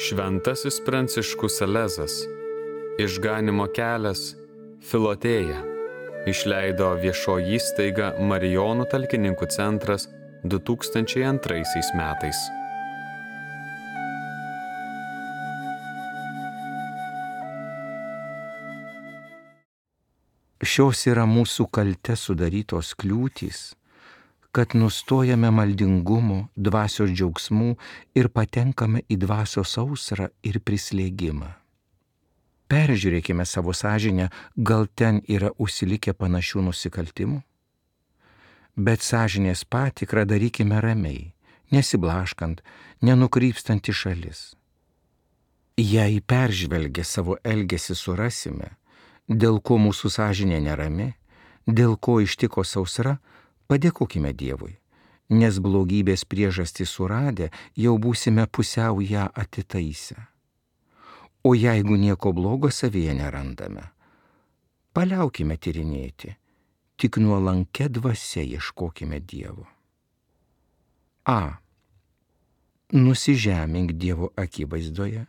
Šventasis Pranciškus Salezas, Išganymo kelias, Filotėja, išleido viešoji įstaiga Marijonų talkininkų centras 2002 metais. Šios yra mūsų kalte sudarytos kliūtys, kad nustojame maldingumo, dvasios džiaugsmų ir patenkame į dvasios sausrą ir prislėgimą. Peržiūrėkime savo sąžinę, gal ten yra užsilikę panašių nusikaltimų? Bet sąžinės patikrą darykime ramiai, nesiblaškant, nenukrypstant į šalis. Jei peržvelgę savo elgesį surasime, dėl ko mūsų sąžinė nerami, dėl ko ištiko sausra, padėkokime Dievui, nes blogybės priežastį suradę jau būsime pusiau ją atitaisę. O jeigu nieko blogo savyje nerandame, paliaukime tyrinėti, tik nuolankia dvasia ieškokime Dievo. A. Nusižemink Dievo akivaizdoje,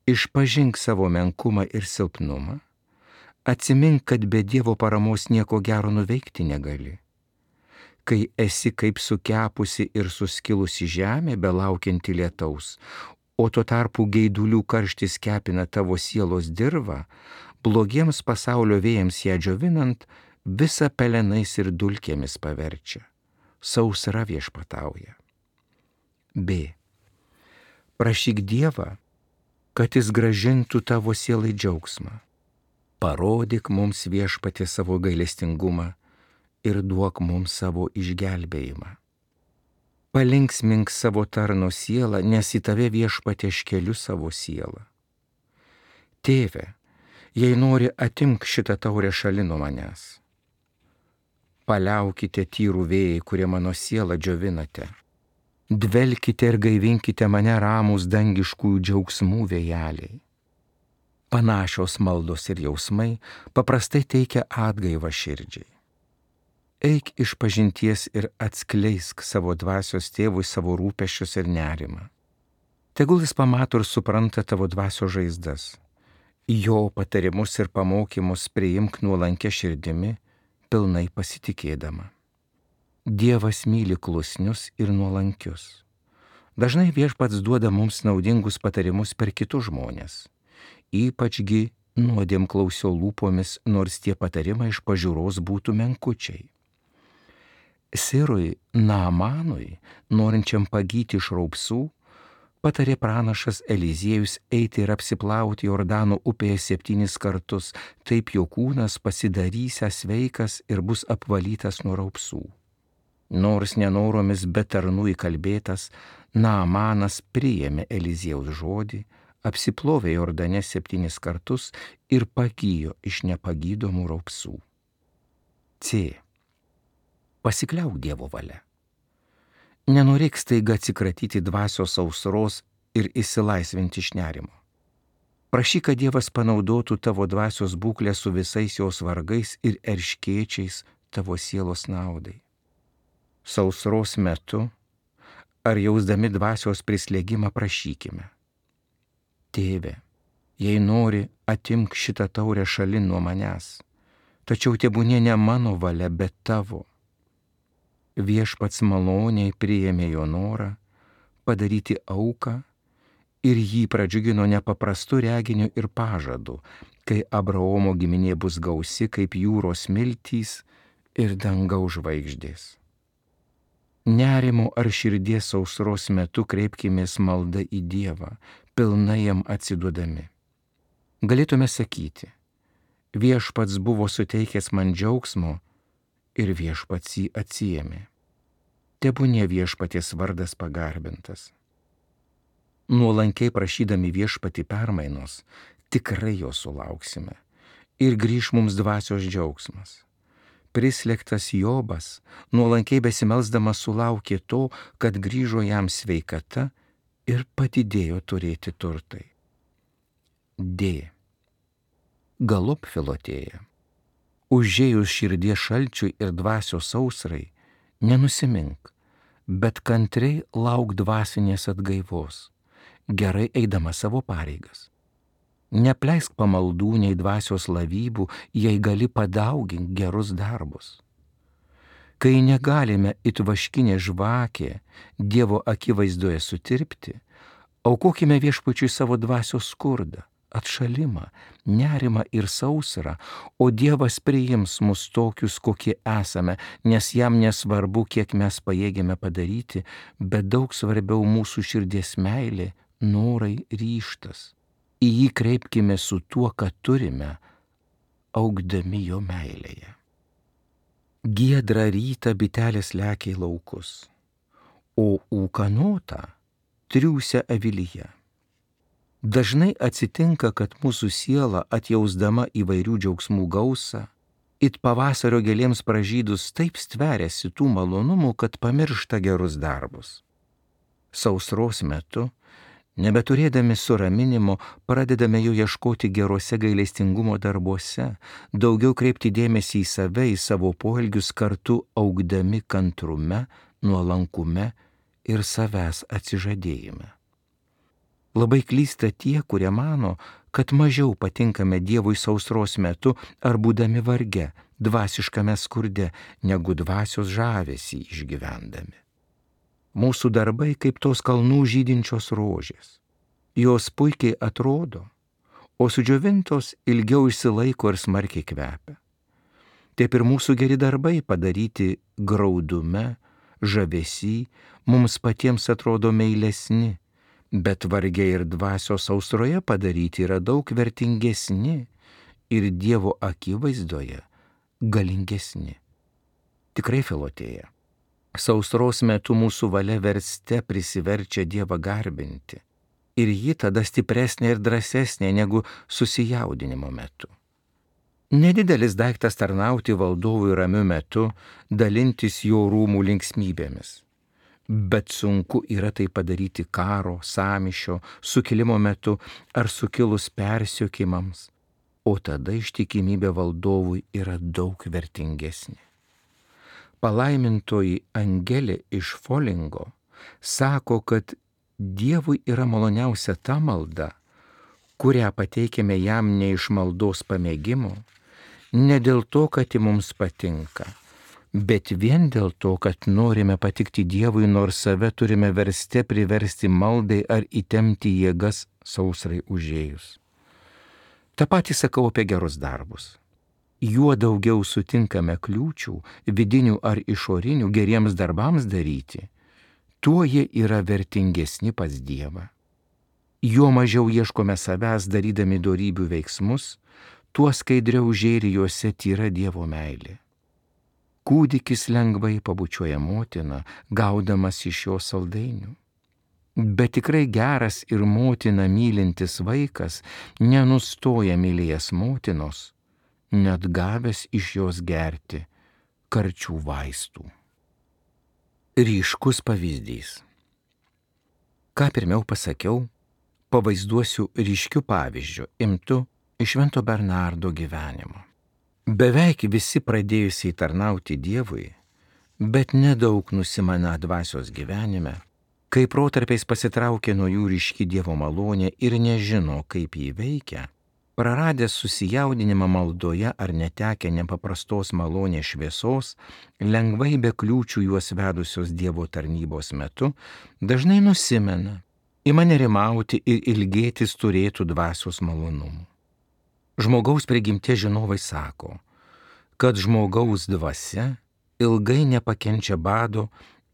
išpažink savo menkumą ir silpnumą, atsimink, kad be Dievo paramos nieko gero nuveikti negali. Kai esi kaip sukepusi ir suskilusi žemė, belaukianti lietaus, o tuo tarpu geidulių karštis kepina tavo sielos dirvą, blogiems pasaulio vėjams ją džiovinant, visą pelenais ir dulkėmis paverčia. Sausra viešpatauja. B. Prašyk Dievą, kad jis grąžintų tavo sielai džiaugsmą. Parodyk mums Viešpatie savo gailestingumą ir duok mums savo išgelbėjimą. Palinksmink savo tarno sielą, nes į tave Viešpatie aš keliu savo sielą. Tėve, jei nori, atimk šitą taurę šalin nuo manęs. Paliaukite tyrų vėjai, kurie mano sielą džiovinate. Dvelkite ir gaivinkite mane ramūs dangiškųjų džiaugsmų vėjeliai. Panašios maldos ir jausmai paprastai teikia atgaivą širdžiai. Eik iš pažinties ir atskleisk savo dvasios tėvui savo rūpesčius ir nerimą. Tegul jis pamato ir supranta tavo dvasios žaizdas. Jo patarimus ir pamokymus priimk nuolankia širdimi, pilnai pasitikėdama. Dievas myli klusnius ir nuolankius. Dažnai Viešpats duoda mums naudingus patarimus per kitus žmones. Ypačgi nuodėmklausio lūpomis, nors tie patarimai iš pažiūros būtų menkučiai. Sirui Naamanui, norinčiam pagyti iš raupsų, patarė pranašas Eliziejus eiti ir apsiplauti Jordano upėje 7 kartus, taip jo kūnas pasidarysęs sveikas ir bus apvalytas nuo raupsų. Nors nenoromis, bet tarnų įkalbėtas, Naamanas priėmė Eliziejaus žodį, apsiplovė Jordane 7 kartus ir pagijo iš nepagydomų raupsų. C. Pasikliauk Dievo valia. Nenorėk staiga atsikratyti dvasios sausros ir išsilaisvinti iš nerimo. Prašyk, kad Dievas panaudotų tavo dvasios būklę su visais jos vargais ir erškėčiais tavo sielos naudai. Sausros metu ar jausdami dvasios prislėgimą prašykime. Tėve, jei nori, atimk šitą taurę šalin nuo manęs, tačiau tebūnie ne mano valia, bet tavo. Viešpats maloniai priėmė jo norą padaryti auką ir jį pradžiugino nepaprastu reginiu ir pažadu, kai Abraomo giminė bus gausi kaip jūros smiltys ir dangaus žvaigždės. Nerimo ar širdies sausros metu kreipkimės malda į Dievą, pilnai jam atsiduodami. Galėtume sakyti, Viešpats buvo suteikęs man džiaugsmo ir Viešpats jį atsiėmė. Tebūnie Viešpaties vardas pagarbintas. Nuolankiai prašydami Viešpatį permainos, tikrai jo sulauksime ir grįš mums dvasios džiaugsmas. Prislėgtas Jobas, nuolankiai besimelsdamas sulaukė to, kad grįžo jam sveikata ir padidėjo turėti turtai. D. Galop Filotėja. Užėjus širdies šalčiui ir dvasios sausrai, nenusimink, bet kantriai lauk dvasinės atgaivos, gerai eidama savo pareigas. Nepleisk pamaldų nei dvasios lavybų, jei gali padauginti gerus darbus. Kai negalime it vaškinė žvakė Dievo akivaizdoje sutirpti, aukokime Viešpačiui savo dvasios skurdą, atšalimą, nerimą ir sausrą, o Dievas priims mus tokius, kokie esame, nes jam nesvarbu, kiek mes pajėgėme padaryti, bet daug svarbiau mūsų širdies meilė, norai, ryžtas. Į jį kreipkime su tuo, ką turime, augdami jo meilėje. Giedrą rytą bitelės lekia į laukus, o ūkanotą triūsia avilyje. Dažnai atsitinka, kad mūsų siela, atjausdama įvairių džiaugsmų gausą, it pavasario gėlėms pražydus taip stveriasi tų malonumų, kad pamiršta gerus darbus. Sausros metu, nebeturėdami suraminimo, pradedame jo ieškoti geruose gailestingumo darbuose, daugiau kreipti dėmesį į save, į savo poelgius, kartu augdami kantrume, nuolankume ir savęs atsižadėjime. Labai klysta tie, kurie mano, kad mažiau patinkame Dievui sausros metu ar būdami varge, dvasiškame skurde, negu dvasios žavesį išgyvendami. Mūsų darbai kaip tos kalnų žydinčios rožės. Jos puikiai atrodo, o sudžiovintos ilgiau išsilaiko ir smarkiai kvepia. Taip ir mūsų geri darbai padaryti graudume, žavesy, mums patiems atrodo meilesni, bet vargiai ir dvasios sausroje padaryti yra daug vertingesni ir Dievo akivaizdoje galingesni. Tikrai, Filotėja, sausros metu mūsų valia verste prisiverčia Dievą garbinti ir ji tada stipresnė ir drąsesnė negu susijaudinimo metu. Nedidelis daiktas tarnauti valdovui ramiu metu, dalintis jo rūmų linksmybėmis. Bet sunku yra tai padaryti karo, sąmyšio, sukilimo metu ar sukilus persiekimams, o tada ištikimybė valdovui yra daug vertingesnė. Palaimintoji Angelė iš Folingo sako, kad Dievui yra maloniausia ta malda, kurią pateikėme jam ne iš maldos pamėgimo, ne dėl to, kad ji mums patinka, bet vien dėl to, kad norime patikti Dievui, nors save turime verste priversti maldai ar įtempti jėgas sausrai užėjus. Ta patį sakau apie gerus darbus. Juo daugiau sutinkame kliūčių, vidinių ar išorinių, geriems darbams daryti, tuo jie yra vertingesni pas Dievą. Juo mažiau ieškome savęs darydami dorybių veiksmus, tuo skaidriau žėri juose tyra Dievo meilė. Kūdikis lengvai pabučiuoja motiną, gaudamas iš jo saldainių. Bet tikrai geras ir motiną mylintis vaikas nenustoja mylėjęs motinos, net gavęs iš jos gerti karčių vaistų. Ryškus pavyzdys. Ką pirmiau pasakiau, pavaizduosiu ryškiu pavyzdžiu, imtu iš Švento Bernardo gyvenimo. Beveik visi pradėjusiai tarnauti Dievui, bet nedaug nusimana dvasios gyvenime, kai protarpiais pasitraukia nuo jų ryški Dievo malonė ir nežino, kaip jį veikia, praradęs susijaudinimą maldoje ar netekę nepaprastos malonės šviesos, lengvai be kliūčių juos vedusios Dievo tarnybos metu, dažnai nusimena, ima nerimauti ir ilgėtis turėtų dvasios malonumų. Žmogaus prigimtie žinovai sako, kad žmogaus dvasia ilgai nepakenčia bado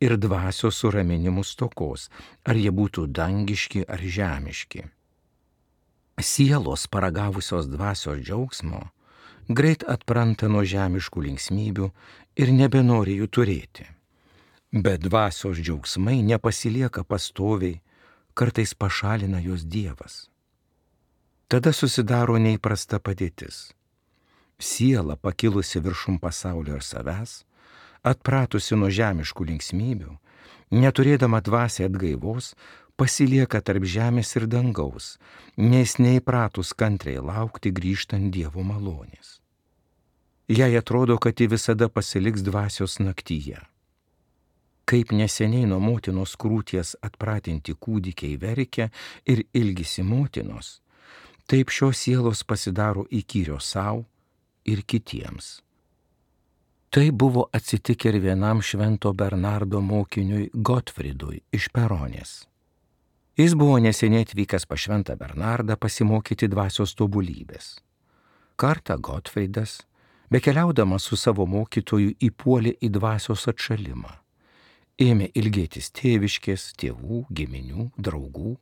ir dvasios suraminimų stokos, ar jie būtų dangiški ar žemiški. Sielos paragavusios dvasios džiaugsmo greit atpranta nuo žemiškų linksmybių ir nebenori jų turėti. Bet dvasios džiaugsmai nepasilieka pastoviai, kartais pašalina jos Dievas. Tada susidaro neįprasta padėtis. Siela pakilusi viršum pasaulio ir savęs, atpratusi nuo žemiškų linksmybių, neturėdama dvasiai atgaivos, pasilieka tarp žemės ir dangaus, nes neįpratus kantriai laukti grįžtant Dievo malonės. Jai atrodo, kad ji visada pasiliks dvasios naktyje. Kaip neseniai nuo motinos krūties atpratinti kūdikiai verkia ir ilgisi motinos, taip šios sielos pasidaro įkyrios savo ir kitiems. Tai buvo atsitikę ir vienam švento Bernardo mokiniui Gotfridui iš Peronės. Jis buvo neseniai atvykęs pas šventą Bernardą pasimokyti dvasios tobulybės. Kartą Gotfridas, bekeliaudamas su savo mokytoju, įpuolė į dvasios atšalimą. Ėmė ilgėtis tėviškės, tėvų, giminių, draugų,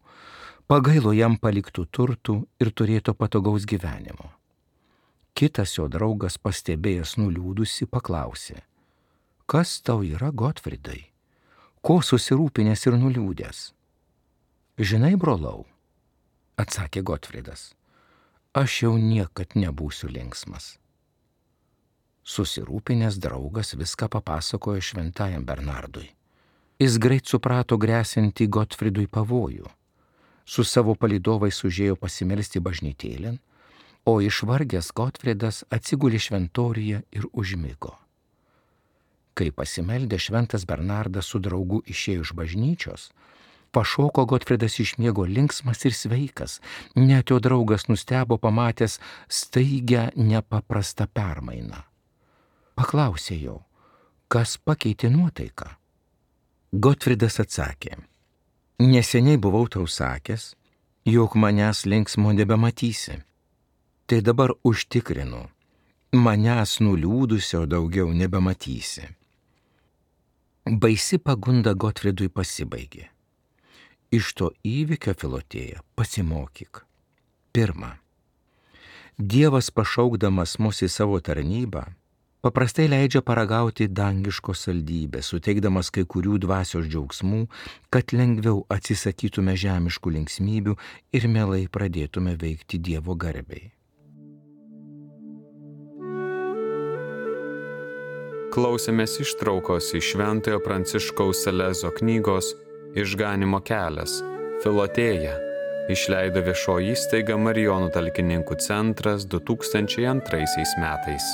pagailo jam paliktų turtų ir turėto patogaus gyvenimo. Kitas jo draugas, pastebėjęs nuliūdusi, paklausė: kas tau yra, Gotfridai? Ko susirūpinęs ir nuliūdęs? Žinai, brolau, atsakė Gotfridas, aš jau niekad nebūsiu linksmas. Susirūpinęs draugas viską papasakojo šventajam Bernardui. Jis greit suprato gresiantį Gotfridui pavojų. Su savo palydovais užėjo pasimelsti bažnytėlėn, o išvargęs Gotfridas atsigulė šventoriuje ir užmigo. Kai pasimeldė, šventas Bernardas su draugu išėjo iš bažnyčios, pašoko Gotfridas iš miego linksmas ir sveikas, net jo draugas nustebo pamatęs staigią nepaprastą permainą. Paklausė jo, kas pakeitė nuotaiką. Gotfridas atsakė: neseniai buvau tau sakęs, jog manęs linksmo nebematysi. Tai dabar užtikrinu, manęs nuliūdusio daugiau nebematysi. Baisi pagunda Gotfridui pasibaigė. Iš to įvykio, Filotėja, pasimokyk. Pirma, Dievas pašaukdamas mus į savo tarnybą, paprastai leidžia paragauti dangiškos saldybės, suteikdamas kai kurių dvasios džiaugsmų, kad lengviau atsisakytume žemiškų linksmybių ir mielai pradėtume veikti Dievo garbei. Klausėmės ištraukos iš Šventojo Pranciškaus Salezo knygos Išganymo kelias – Filotėja, išleido viešoji įstaiga Marijonų talkininkų centras 2002 metais.